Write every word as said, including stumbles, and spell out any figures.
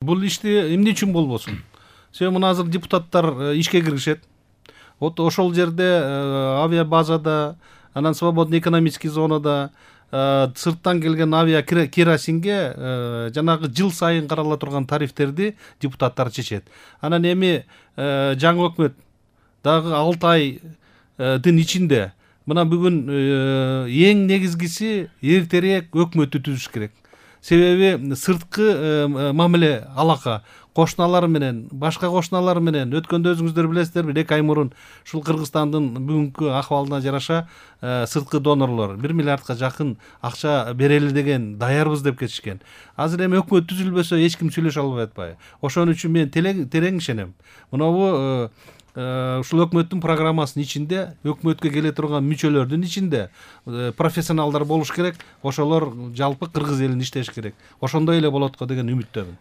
Бул ишти эмне үчүн болбосун? Себеби мына азыр депутаттар ишке киришет. Вот ошол жерде авиабазада, анан свободный экономический зонада сырттан келген авиа керосинге жанагы жыл сайын карала турган тарифтерди депутаттар чечет. Анан эми жаңы өкмөт дагы алты айдын ичинде мына бүгүн эң негизгиси эртерээк өкмөттү түзүш керек. Себеби сырткы мамиле алака кошуналар менен, башка кошуналар менен өткөндө өзүңүздөр билесиздерби, эки ай мурун ушул Кыргызстандын бүгүнкү акыбалына жараша сырткы донорлор бир миллиардка жакын акча берели деген даярбыз деп кетишкен. Азыр эми өкмөт түзүлбөсө эч ким сүйлөшө албай атпайбы? Ошон үчүн мен терең ишенем. Мынабу ушул өкмөттүн программасынын ичинде, өкмөткө келе турган мүчөлөрдүн ичинде профессионалдар болуш керек. Ошолор жалпы кыргыз элин иштеш керек. Ошондой эле болот го деген үмүттөмүн.